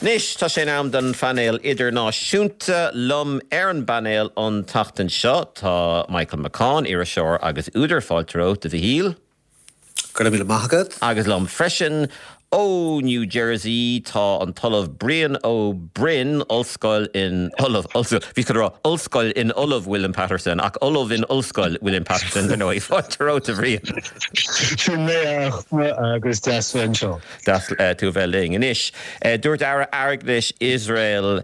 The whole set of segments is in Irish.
Anois tá sé in am don phainéal idirnáisiúnta. Liom ar an bpainéal an tseachtain seo tá Michael McCaughan, iriseoir agus údar. Fáilte romhat, a Mhichíl. Go raibh míle maith agat. Agus liom freisin ó New Jersey tá an tOllamh Brian Ó Broin, Ollscoil in Ollamh, Ollscoil, bhíos chun a rá Ollscoil in Ollamh William Patterson, ach Ollamh in Ollscoil William Patterson, ar ndóigh. Fáilte romhat, a Bhriain. Sin mé, a Fhachtna, agus deas bheith anseo. Deas tú a bheith linn. Anois, dúirt Aire Airgeadais Iosrael,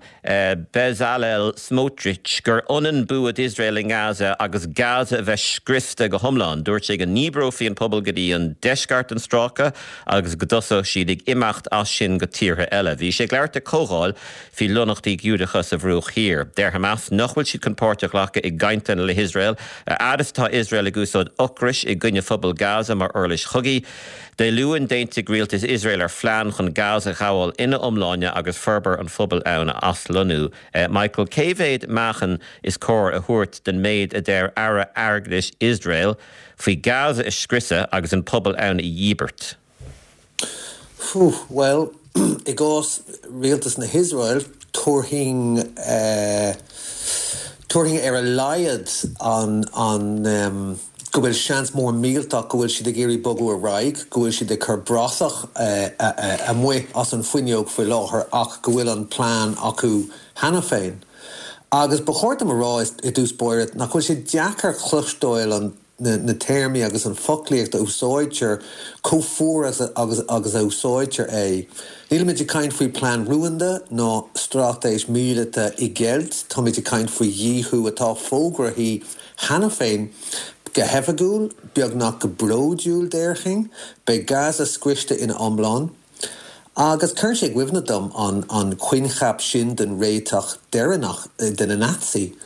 Bezalel Smotrich, gur ionann bua d'Iosrael i nGaza agus Gaza a bheith scriosta go hiomlán. Dúirt sé go ndíbreofaí an pobal go dtí an deisceart den stráice agus go dtosódh siad ag imeacht as sin go tíortha eile. Bhí sé ag labhairt ag comhdháil faoi lonnaíochtaí Giúdacha sa Bhruach Thiar. Deir Hamas nach bhfuil siad chun páirt a ghlacadh i gcainteanna le hIosrael, a fhad is atá Iosrael ag úsáid ocrais i gcoinne phobal Gaza mar uirlis chogaidh. Dé Luain, d'aontaigh rialtas Iosrael ar phlean chun Gaza a ghabháil ina iomláine agus formhór an phobail ann a aslonnú. Michael, cé mhéad meáchan is cóir a thabhairt den méid a deir Aire Airgeadais Iosrael faoi Gaza a scriosadh agus an pobal ann a dhíbirt? Bhuel, i gcás rialtas na hIosrael, tabharfainn, tabharfainn ar a laghad an, an, go bhfuil seans mór millteach go bhfuil siad ag iarraidh bogadh ar aghaidh, go bhfuil siad ag cur bratach amuigh as an bhfuinneog faoi láthair ach go bhfuil an plean acu cheana féin. Agus ba chóir dom a rá i dtús báire nach bhfuil sé deacair cloisteáil an na téarmaí agus an foclaíocht a úsáidtear chomh fuar agus agus a úsáidtear é. Nílimid ag caint faoi plean rúnda ná straitéis míleata i gceilt, táimid ag caint faoi dhíothú atá fógraithe cheana féin go hoifigiúil, beagnach go bródúil déarfainn. Beidh Gaza scriosta ina iomlán. Agus cuireann sé i gcuimhne dom an an coincheap sin den réiteach deireanach de na Naitsí.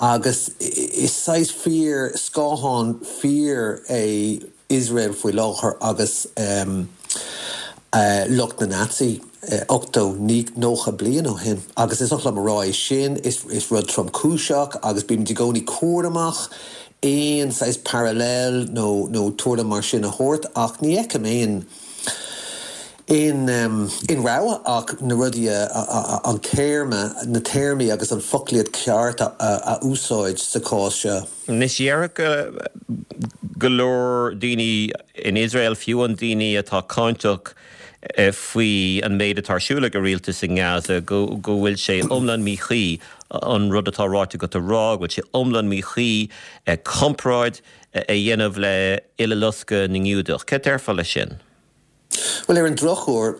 Agus is saghas fíor scáthán fíor é Iosrael faoi láthair agus lucht na Naitsí 80, 90 bliain ó shin. Agus is oth liom a rá é sin, is rud tromchúiseach agus bímid i gcónaí cúramach aon saghas parallel nó nó tuairim mar sin a thabhairt ach ní fheicim aon aon aon rogha ach na rudaí a an téarma, na téarmaí agus an foclaíocht ceart a a úsáid sa chás seo. Anois déarfadh go leor daoine in Iosrael, fiú an daoine atá cáinteach faoi an méid atá ar siúl ag an rialtas i nGaza, go bhfuil sé iomlán míchuí an rud atá ráite agat a rá, go bhfuil sé iomlán míchuí comparáid a dhéanamh le Uileloscadh na nGiúdach. Céard déarfá leis sin? Bhuel, ar an drochuair,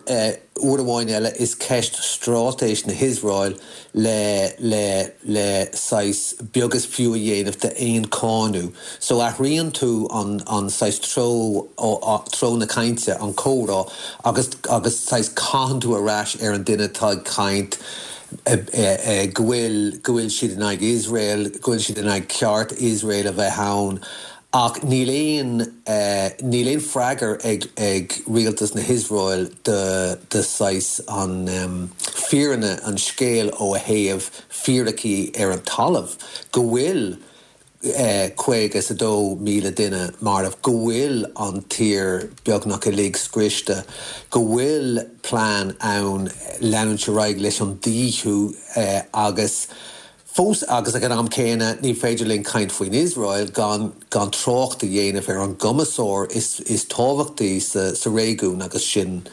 uair amháin eile, is ceist straitéis na hIosrael le, le, le saghas beag is fiú a dhéanamh d'aon cáineadh. So athraíonn tú an, an saghas treo, treo na cainte, an comhrá, agus, agus saghas caitheann tú ar ais ar an duine atá ag caint go bhfuil, go bhfuil siad in aghaidh Iosrael, go bhfuil siad in aghaidh ceart Iosrael a bheith ann. Ach níl aon, níl aon freagar ag, ag rialtas na hIosrael do, do saghas an fírinne, an scéil ó a thaobh fíricí ar an talamh, go bhfuil 50 is 2,000 duine marbh, go bhfuil an tír beagnach uilig scriosta, go bhfuil plean ann leanúint ar aghaidh leis an díothú agus. Fós agus ag an am céanna, ní féidir linn caint faoin Iosrael gan gan trácht a dhéanamh ar an gcumasóir is is tábhachtaí sa sa réigiún agus sin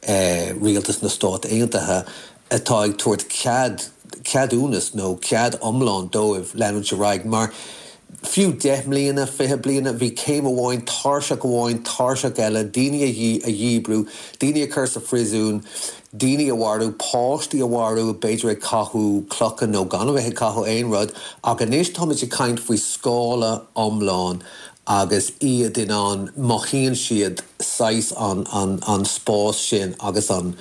rialtas na Stát Aontaithe atá ag tabhairt cead ceadúnas nó cead iomlán dóibh leanúint ar aghaidh mar fiú 10 mbliana, 20 bliana, bhí céim amháin, tairseach amháin, tairseach eile, daoine a a dhíbriú, daoine a chur sa phríosún, daoine a mharú, páistí a mharú, b'fhéidir ag caitheamh clocha nó gan a bheith ag caitheamh aon rud, ach anois táimid ag caint faoi scála iomlán agus iad in ann, mothaíonn siad saghas an, an, an spás sin agus an,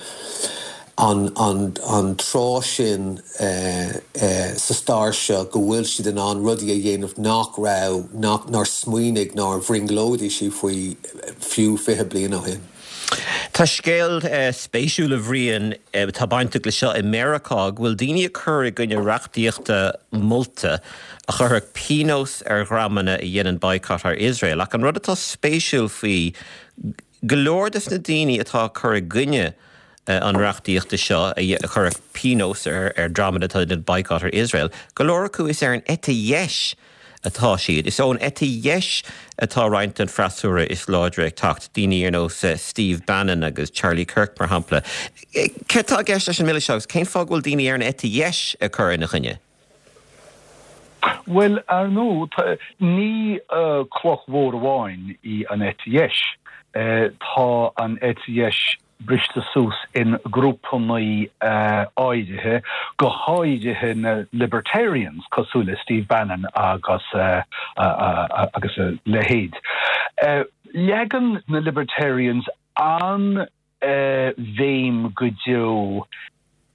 an, an, an tráth sin sa stair seo go bhfuil siad in ann rudaí a dhéanamh nach raibh, nach, nár smaoinigh, nár bhrionglóidigh siad faoi fiú 20 bliain ó shin. Tá scéal spéisiúil, a Bhriain, atá bainteach le seo i Meiriceá, go bhfuil daoine ag cur i gcoinne reachtaíochta molta a chuirfeadh pionós ar dhreamanna a dhéanann boycott ar Iosrael. Ach an rud atá spéisiúil faoi go leor des na daoine atá ag cur i gcoinne. an reachtaíochta seo a chuirfeadh pionós ar dhreamanna atá ag déanamh boycott ar Iosrael, go leor acu is ar an eite dheis atá siad. Is ón eite dheis atá roinnt den freasúra is láidre ag teacht, daoine ar nós Steve Bannon agus Charlie Kirk, mar shampla. Céard atá i gceist leis an mbille seo agus cén fáth go bhfuil daoine ar an eite dheis ag cur ina choinne? Bhuel, ar ndóigh, ní cloch mhór amháin í an eite dheis. Tá an eite dheis briste suas in grúpannaí áirithe, go háirithe na libertarians cosúil le Steve Bannon agus agus a leithéid. Leagann na libertarians an bhéim go deo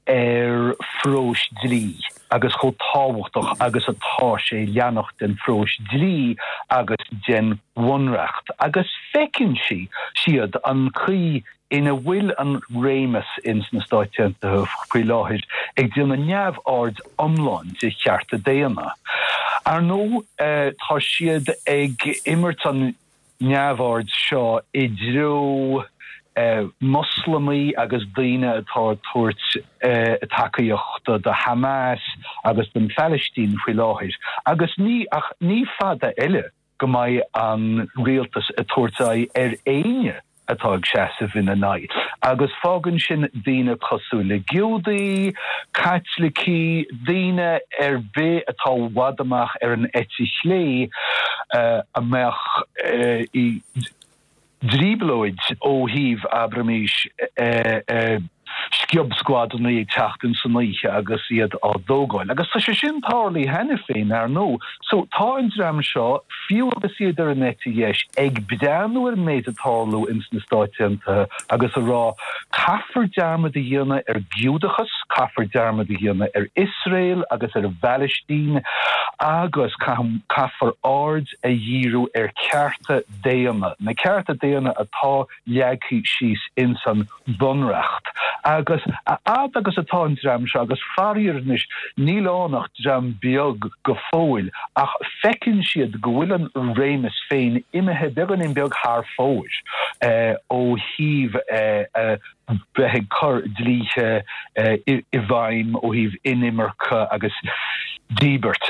ar phróis dlí agus chomh tábhachtach agus atá sé leanacht den phróis dlí agus den bhunreacht agus feiceann sí, siad an chaoi ina bhfuil an réimeas ins na Stáit Aontaithe faoi láthair ag déanamh neamhaird iomlán de chearta daonna. Ar ndóigh tá siad ag imirt an neamhaird seo i dtreo Moslamaigh agus daoine atá ag tabhairt tacaíochta do Hamas agus don Phalaistín faoi láthair agus ní ach ní fada eile go mbeidh an rialtas ag tabhairt aghaidh ar éinne atá ag seasamh ina n-aghaidh agus fágann sin daoine cosúil le Giúdaí, Caitlicigh, daoine ar bith atá i bhfad amach ar an eite chlé a mbeadh i dtrioblóid ó thaobh, abraimís, sciob-scuadanna ag teacht in san oíche agus iad á dtógáil. Agus tá sé sin tarlaithe cheana féin, ar ndóigh. So, tá an dream seo, fiú agus iad ar an eite dheis, ag breathnú ar an méid ag tarlú ins na Stáit Aontaithe agus ag rá, caithfear dearmad a dhéanamh ar Giúdachas, caithfear dearmad a dhéanamh ar Iosrael agus ar an bPalaistín agus caithfear aird a dhíriú ar cearta daonna, na cearta daonna atá leagtha síos ins an Bhunreacht. Agus a fhad agus atá an dream seo, agus faraor anois níl ann ach dream beag go fóill, ach feiceann siad go bhfuil an réimeas féin imithe beagáinín beag thar fóir ó thaobh bheith ag cur dlíthe i bhfeidhm ó thaobh inimirce agus díbirt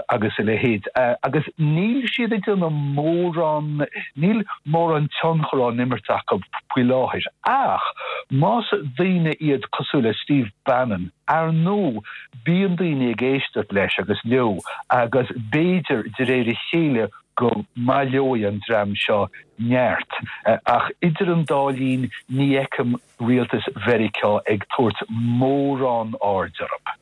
agus a leithéid. Agus níl siad ag déanamh mórán, níl mórán tionchar á n-imirt acu faoi láthair. Ach más daoine iad cosúil le Steve Bannon, ar ndóigh, bíonn daoine ag éisteacht leis agus leo agus b'fhéidir de réir a chéile go mbaileoidh an dream seo neart. Ach idir an dá linn, ní fheicim rialtas Mheiriceá ag tabhairt mórán aird orthu.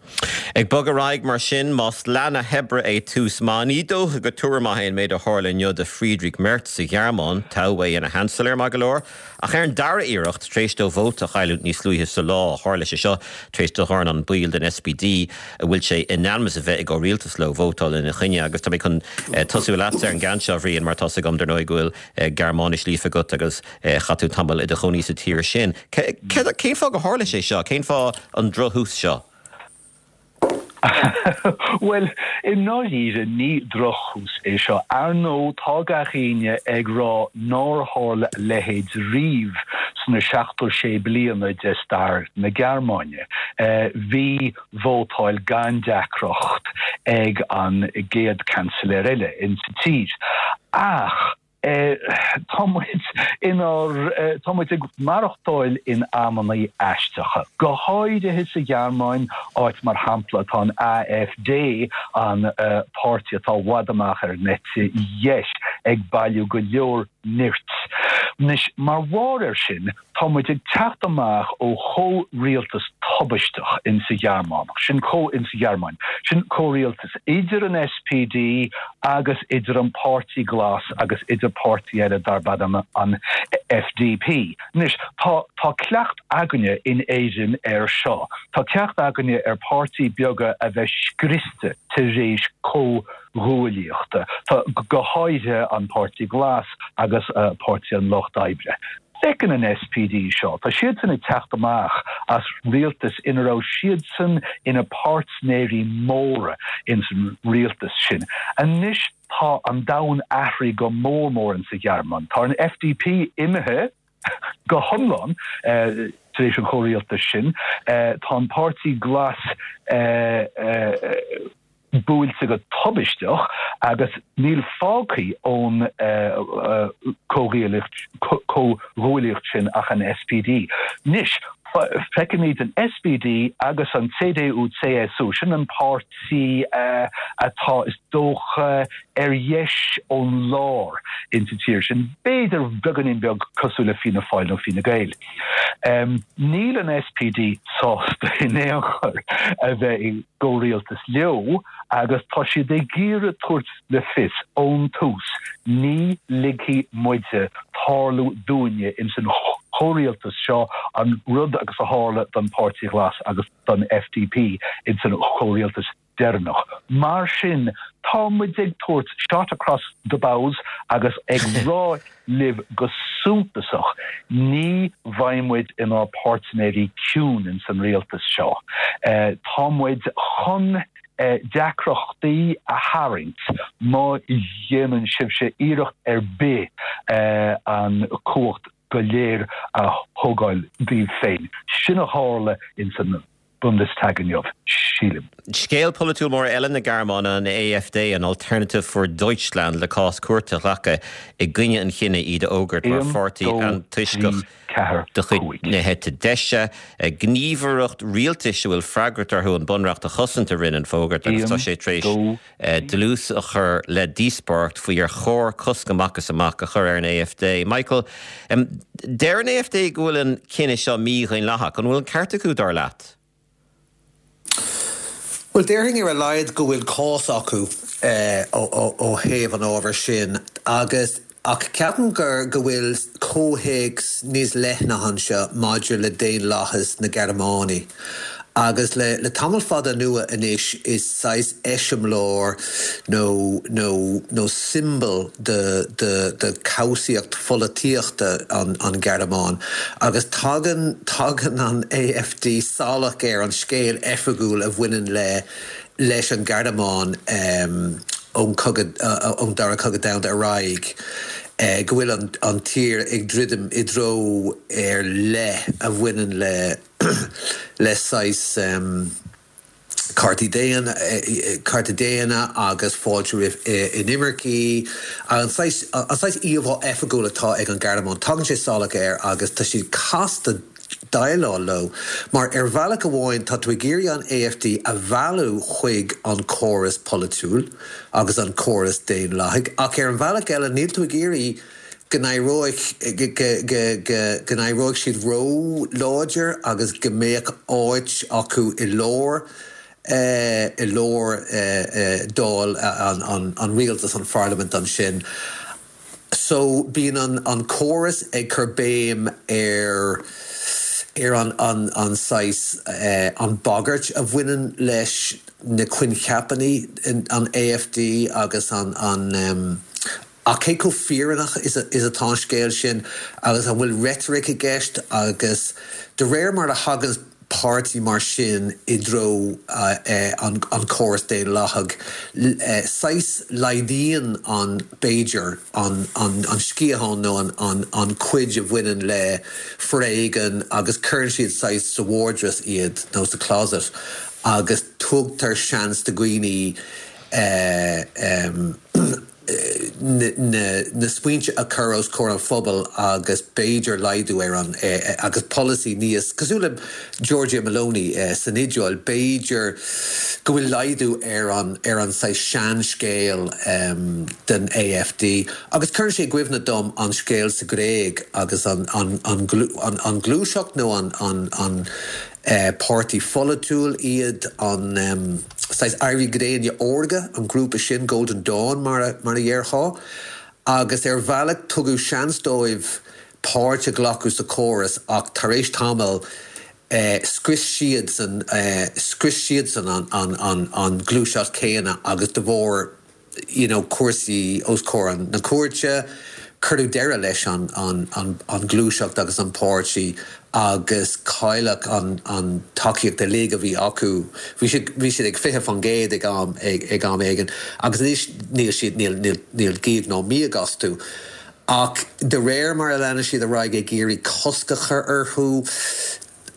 Ag bogadh ar aghaidh mar sin, más leath na hoibre é tús maith, ní dócha gur tuar maith é an méid a tharla inniu do Friedrich Merz sa Ghearmáin. Toghadh é ina Sheansailéir, maith go leor, ach ar an dara iarracht, tar éis dó vóta a chailliúint níos luaithe sa lá. Tharla sé seo tar éis do dhornán baill den SPD, a bhfuil sé in ainm is a bheith i gcomhrialtas leo, vótáil ina choinne. Agus tá mé chun tosú leatsa ar an gceann seo, a Bhriain, mar tá's agam, dar ndóigh, go bhfuil Gearmáinis líofa agat agus chaith tú tamall i do chónaí sa tír sin. Cén fáth gur tharla sé seo? Cén fáth an drochthús seo? Bhuel, i ndáiríre, ní drochthús é seo. Ar ndóigh, tá gach éinne ag rá nár tharla a leithéid riamh sna 76 bliana de stair na Gearmáine. Bhí vótáil gan deacracht ag an gcéad Chancellor eile insa tír. Ach tá muid inár, tá muid ag maireachtáil in amannaí aisteacha, go háirithe sa Ghearmáin, áit mar shampla atá an AfD, an páirtí atá i bhfad amach ar an eite dheis, ag bailiú go leor nirt. Anois, mar bharr air sin, Tá muid ag teacht amach ó chomhrialtas tubaisteach insa Ghearmánach, sin comh insa Ghearmáin, sin comhrialtas idir an SPD agus idir an Páirtí Glas agus idir páirtí eile darb ainm an FDP. Anois, tá tá cleacht againne in Éirinn air seo. Tá cleacht againne ar páirtí beaga a bheith scriosta tar éis comhghuaillíochta, tá go háirithe an Páirtí Glas agus Páirtí an Lucht Oibre. Feiceann an SPD seo, tá siadsan ag teacht amach as rialtas ina raibh siadsan ina páirtnéirí móra ins an rialtas sin. Anois tá an domhan athraithe go mór mór insa Ghearmáin. Tá an FDP imithe go hiomlán. tar éis an chomhrialtais sin. Tá an Páirtí Glas buailte go tubaisteach agus níl fágtha ón chomhghuaillíocht sin ach an SPD. Anois, feicimid an SPD agus an CDU-CSU, sin an páirtí atá, is dócha, ar dheis ón lár insa tír sin, b'fhéidir beagáinín beag cosúil le Fianna Fáil nó Fine Gael. Níl an SPD sásta in aon chor a bheith i gcomhrialtas leo agus tá siad ag iarraidh tabhairt le fios ón tús, ní ligfidh muide tarlú dúinne ins an chomhrialtas seo an rud agus a tharla don Páirtí Ghlas agus don FDP ins an chomhrialtas deireanach. Mar sin, tá muid ag tabhairt shot across the bows agus ag rá libh go suntasach, ní bheidh muid inár bpáirtnéirí ciúin ins an rialtas seo. Tá muid chun deacrachtaí a tharraingt má dhéanann sibhse iarracht ar bith an cumhacht go léir a thógáil daoibh féin. Sin a tharla ins an Bundestag inniu, sílim. Scéal polaitiúil mór eile na Gearmáine, an AfD, an Alternative für Deutschland, le cás cúirte a ghlacadh i gcoinne an chinnidh iad a fhógairt mar 1, pháirtí 2, 3, antoisceach 4, de chuid 5. na heite deise. Gníomhaireacht rialtais a bhfuil freagracht orthu an bunreacht a chosaint a rinne an fógairt agus tá 1, sé tar éis 2, 3. dlús a chur le díospóireacht faoi ar chóir cosc amach is amach a chur ar an AfD. Michael, deir an AfD go bhfuil an cinneadh seo mídhaonlathach. An bhfuil an ceart acu, dar leat? Bhuel, déarfainn ar a laghad go bhfuil cás acu ó thaobh an ábhair sin agus Ach ceapaim gur go bhfuil comhthéacs níos leithne anseo maidir le daonlathas na Gearmáine. Agus le le tamall fada anuas anois is saghas eiseamláir nó nó nó siombail de de de cobhsaíocht pholaitíochta an an Ghearmáin. Agus tagann tagann an AfD salach ar an scéal oifigiúil a bhaineann le leis an Ghearmáin ón cogadh, ón Dara Cogadh Domhanda ar aghaidh, go bhfuil an tír ag druidim i dtreo ar leith a bhaineann le le saghas cearta daonna, cearta daonna agus fáilte roimh inimircigh, an saghas an saghas íomhá oifigiúil atá ag an Ghearmáin, tagann sé salach air agus tá siad casta déileáil leo, mar ar bhealach amháin tá tú ag iarraidh an AfD a mhealladh chuig an córas polaitiúil agus an córas daonlathaigh, ach ar an bhealach eile níl tú ag iarraidh go n-éireoidh go n-éireoidh siad ró-láidir agus go mbeadh áit acu i lár i lár Dáil an rialtas, an pharlaimint ansin. So bíonn an an córas ag cur béim ar ar an an an saghas an bagairt a bhaineann leis na coincheapanna an AfD agus an an ach cé chomh fírinneach is is atá an scéal sin agus an bhfuil reitric i gceist agus de réir mar a thagann páirtí mar sin i dtreo an chórais daonlathaigh, saghas laghdaíonn an, b'fhéidir, an sciathán nó an chuid a bhaineann le foréigean agus cuireann siad saghas sa vardrús iad nó sa closet agus tugtar seans do dhaoine na smaointe a chur os comhair an phobail agus b'fhéidir laghdú ar an agus polasaí níos cosúil le Giorgia Meloni san Iodáil, b'fhéidir go bhfuil laghdú ar an ar an saghas seanscéal den AfD. Agus cuireann sé i gcuimhne dom an scéal sa Ghréig agus an an an an ghluaiseacht nó an an an Páirtí pholaitiúil iad an saghas Éirí Gréine Órga, an grúpa sin, Golden Dawn mar a dhéarfá, agus ar bhealach tugadh seans dóibh páirt a ghlacadh sa chóras ach tar éis tamaill scrios siadsan scrios siadsan an ghluaiseacht chéanna agus de bharr you know cúrsaí os comhair na cúirte, cuireadh deireadh leis an an an an ghluaiseacht agus an páirtí agus cailleadh an an tacaíocht uilig a bhí acu. Bhí siad bhí siad ag 20% ag am ag ag am éigin agus anois níl siad níl níl níl gíog ná míog astu. Ach de réir mar a leanann siad ar aghaidh ag iarraidh cosc a chur orthu.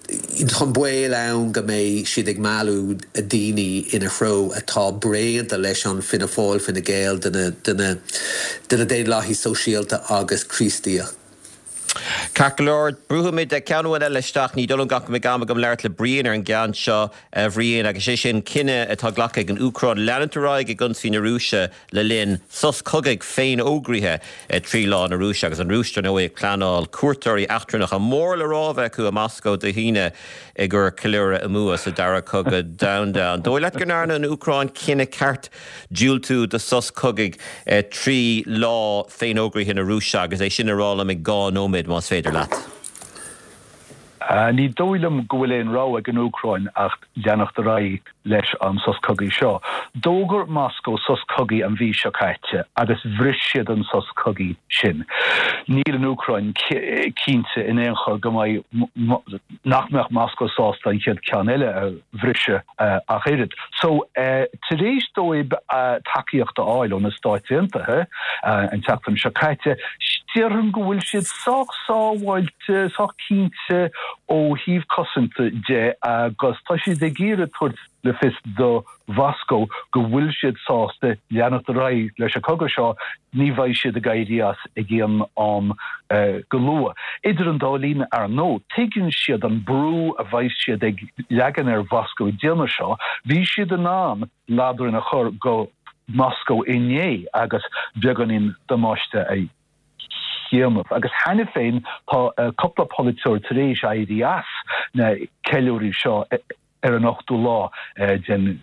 Tá an baol ann go mbeidh siad ag mealladh daoine ina threo atá bréanta leis an Fianna Fáil, Fine Gael, de na, de na, de na Daonlathaigh Sóisialta agus Críostaíoch. Ceart go leor, brúfaimid ceann amháin eile isteach. Ní dóigh liom go mbeidh am agam labhairt le Brian ar an gceann seo, a Bhriain, agus sé sin cinneadh atá glactha ag an Úcráin leanúint ar aghaidh ag ionsaí na Rúise le linn sos cogaidh féinfhógraithe 3 lá na Rúise, agus an Rúis, dar ndóigh, ag pleanáil cuairteoirí eachtrannacha mór le rá a bheith acu i Moscó Dé hAoine i gcomhair ceiliúradh a mbua sa Dara Cogadh Domhanda. An dóigh leat go ndearna an Úcráin cinneadh ceart diúltú do sos cogaidh 3 lá féinfhógraithe na Rúise, agus é sin a rá liom i 2 nóiméad, más féidir leat? Ní dóigh liom go bhfuil aon rogha ag an Úcráin ach leanacht ar aghaidh leis an sos cogaidh seo. D'fhógair Moscó sos cogaidh an mhí seo caite agus bhris siad an sos cogaidh sin. Níl an Úcráin cinnte in aon chor go mbeidh, nach mbeadh Moscó sásta an chéad ceann eile a bhriseadh ach oiread. So, tar éis dóibh tacaíocht a fháil ó na Stáit Aontaithe an tseachtain seo caite, déarfainn go bhfuil siad sách sábháilte, sách cinnte ó thaobh cosanta de agus tá siad ag iarraidh tabhairt le fios do Mhoscó go bhfuil siad sásta leanacht ar aghaidh leis an cogadh seo, ní bheidh siad ag éirí as ag aon am go luath. Idir an dá linn, ar ndóigh, tuigeann siad an brú a bheidh siad ag leagan ar Mhoscó ag déanamh seo. Bhí siad in ann ladrainn a chur go Moscó inné agus beagáinín damáiste a dhéanamh. Agus cheana féin tá cúpla polaiteoir tar éis éirí as na ceiliúraí seo ar an ochtú lá den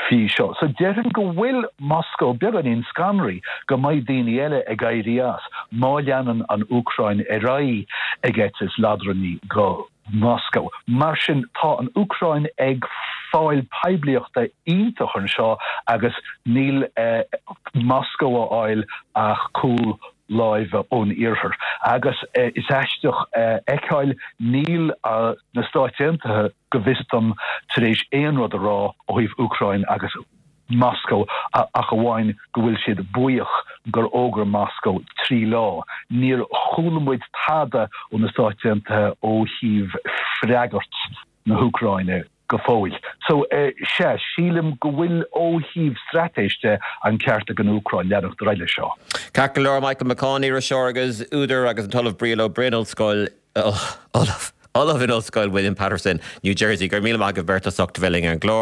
mhí seo. So déarfainn go bhfuil Moscó beagáinín scanraithe go mbeidh daoine eile ag éirí as má leanann an Úcráin ar aghaidh ag eitilt ladrainní go Moscó. Mar sin tá an Úcráin ag fáil poiblíochta iontach anseo agus níl Moscó á fháil ach cúl láimhe ón iarthar. Agus is aisteach a fheiceáil, níl na Stáit Aontaithe, go bhfios dom, tar éis aon rud a rá ó thaobh Úcráin agus Moscó ach amháin go bhfuil siad buíoch gur fhógair Moscó 3 lá. Níor chuala muid tada ó na Stáit Aontaithe ó thaobh freagairt na hÚcráine go fóill. So, sea, sílim go bhfuil ó thaobh straitéis de an ceart ag an Úcráin leanacht ar aghaidh leis seo. Ceart go leor, Michael McCaughan, iriseoir agus údar agus an tOllamh Brian Ó Broin, Ollscoil, Ollamh, Ollamh in Ollscoil William Paterson, New Jersey. Go raibh míle maith agaibh beirt as ucht a bheith linn ar an gclár.